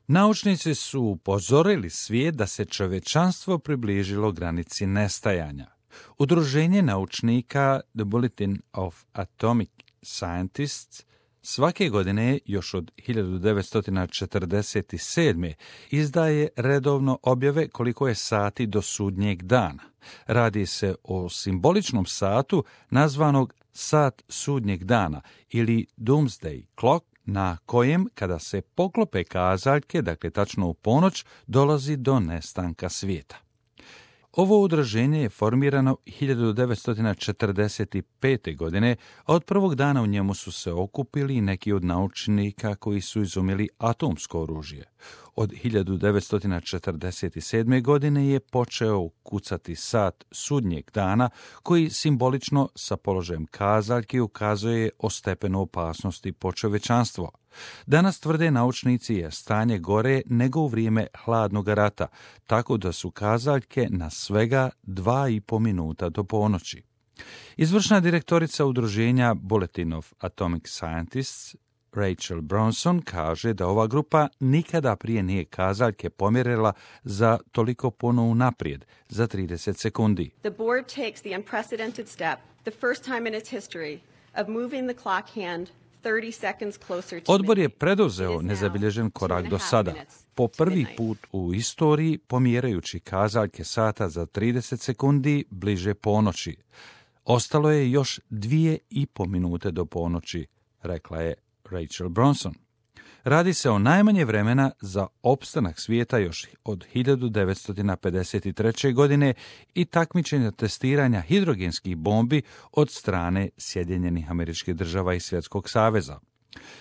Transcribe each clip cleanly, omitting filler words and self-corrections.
Naučnici su upozorili svijet da se čovječanstvo približilo granici nestajanja. Udruženje naučnika The Bulletin of Atomic Scientists svake godine, još od 1947. izdaje redovno objave koliko je sati do sudnjeg dana. Radi se o simboličnom satu nazvanog sat sudnjeg dana ili Doomsday Clock, na kojem, kada se poklope kazaljke, dakle tačno u ponoć, dolazi do nestanka svijeta. Ovo udruženje je formirano 1945. godine, a od prvog dana u njemu su se okupili neki od naučnika koji su izumili atomsko oružje. Od 1947. godine je počeo kucati sat sudnjeg dana, koji simbolično sa položajem kazaljki ukazuje o stepenu opasnosti po čovječanstvo. Danas, tvrde naučnici, je stanje gore nego u vrijeme hladnog rata, tako da su kazaljke na svega 2,5 minuta do ponoći. Izvršna direktorica udruženja Bulletin of Atomic Scientists, Rachel Bronson, kaže da ova grupa nikada prije nije kazaljke pomjerila za toliko puno unaprijed, za 30 sekundi. The board takes the unprecedented step, the first time in its history, of moving the clock hand 30 seconds closer to Odbor je preduzeo nezabilježen korak do sada, po prvi put u istoriji pomjerajući kazaljke sata za 30 sekundi bliže ponoći. Ostalo je još 2,5 minute do ponoći, rekla je Rachel Bronson. Radi se o najmanje vremena za opstanak svijeta još od 1953. godine i takmičenja testiranja hidrogenskih bombi od strane Sjedinjenih Američkih Država i Svjetskog saveza.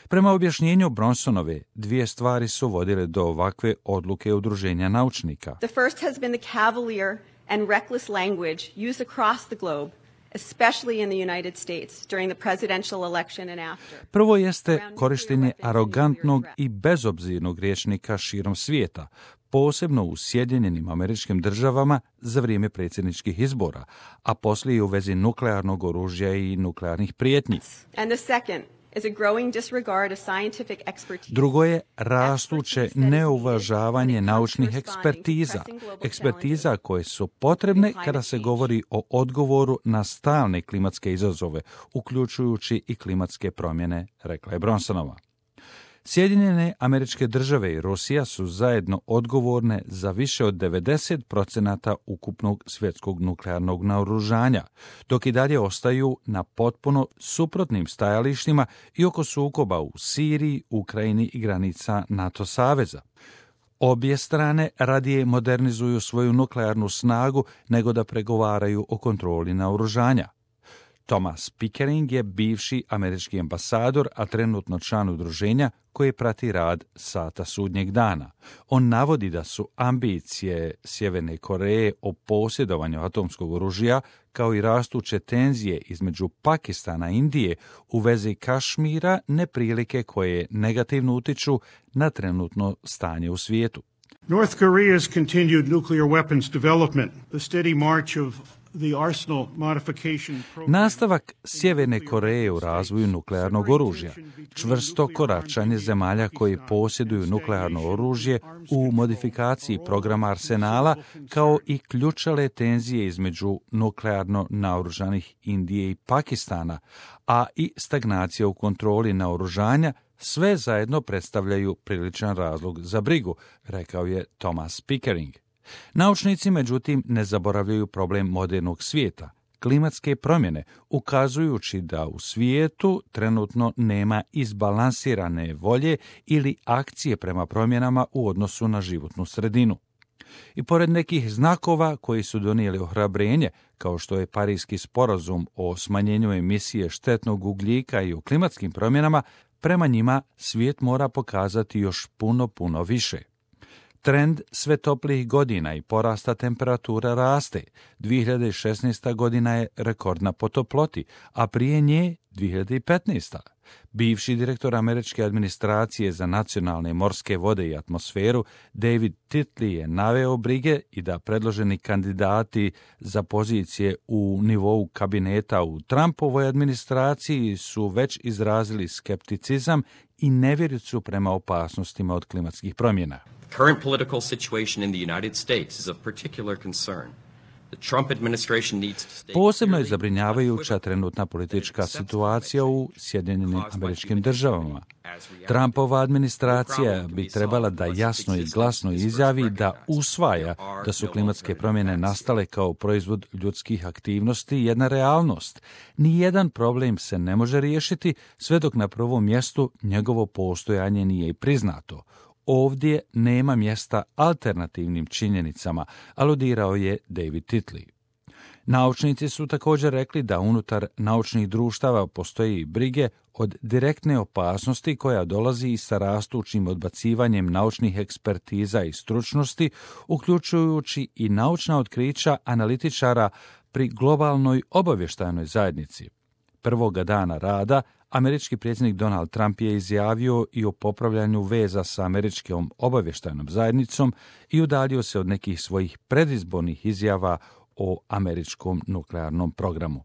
Prema objašnjenju Bronsonove, dvije stvari su vodile do ovakve odluke udruženja naučnika. The first has been the cavalier and reckless language used across the globe, especially in the United States during the presidential election and after. Prvo jeste korištenje arogantnog i bezobzirnog rječnika širom svijeta, posebno u Sjedinjenim Američkim Državama za vrijeme predsjedničkih izbora, a poslije i u vezi nuklearnog oružja i nuklearnih prijetnji. And the second is a growing disregard of scientific expertise. Drugo je rastuće neuvažavanje naučnih ekspertiza koje su potrebne kada se govori o odgovoru na stalne klimatske izazove, uključujući i klimatske promjene, rekla je Bronsonova. Sjedinjene Američke Države i Rusija su zajedno odgovorne za više od 90% ukupnog svjetskog nuklearnog naoružanja, dok i dalje ostaju na potpuno suprotnim stajalištima i oko sukoba u Siriji, Ukrajini i granica NATO saveza. Obje strane radije modernizuju svoju nuklearnu snagu nego da pregovaraju o kontroli naoružanja. Thomas Pickering je bivši američki ambasador, a trenutno član udruženja koje prati rad sata sudnjeg dana. On navodi da su ambicije Sjeverne Koreje o posjedovanju atomskog oružja, kao i rastuće tenzije između Pakistana i Indije u vezi Kašmira, neprilike koje negativno utiču na trenutno stanje u svijetu. North Korea's continued nuclear weapons development, the steady march of nastavak Sjeverne Koreje u razvoju nuklearnog oružja, čvrsto koračanje zemalja koji posjeduju nuklearno oružje u modifikaciji programa arsenala, kao i ključale tenzije između nuklearno naoružanih Indije i Pakistana, a i stagnacija u kontroli naoružanja, sve zajedno predstavljaju priličan razlog za brigu, rekao je Thomas Pickering. Naučnici, međutim, ne zaboravljaju problem modernog svijeta, klimatske promjene, ukazujući da u svijetu trenutno nema izbalansirane volje ili akcije prema promjenama u odnosu na životnu sredinu. I pored nekih znakova koji su donijeli ohrabrenje, kao što je Parijski sporazum o smanjenju emisije štetnog ugljika i o klimatskim promjenama, prema njima svijet mora pokazati još puno više. Trend sve toplijih godina i porasta temperatura raste. 2016. godina je rekordna po toploti, a prije nje 2015. Bivši direktor američke administracije za nacionalne morske vode i atmosferu David Titley je naveo brige i da predloženi kandidati za pozicije u nivou kabineta u Trumpovoj administraciji su već izrazili skepticizam i nevjericu prema opasnostima od klimatskih promjena. The current political situation in the United States is of particular concern. Posebno je zabrinjavajuća trenutna politička situacija u Sjedinjenim Američkim Državama. Trumpova administracija bi trebala da jasno i glasno izjavi da usvaja da su klimatske promjene nastale kao proizvod ljudskih aktivnosti jedna realnost. Nijedan problem se ne može riješiti sve dok na prvom mjestu njegovo postojanje nije i priznato. Ovdje nema mjesta alternativnim činjenicama, aludirao je David Titley. Naučnici su također rekli da unutar naučnih društava postoji brige od direktne opasnosti koja dolazi i sa rastućim odbacivanjem naučnih ekspertiza i stručnosti, uključujući i naučna otkrića analitičara pri globalnoj obavještajnoj zajednici. Prvoga dana rada američki predsjednik Donald Trump je izjavio i o popravljanju veza sa američkom obavještajnom zajednicom i udaljio se od nekih svojih predizbornih izjava o američkom nuklearnom programu.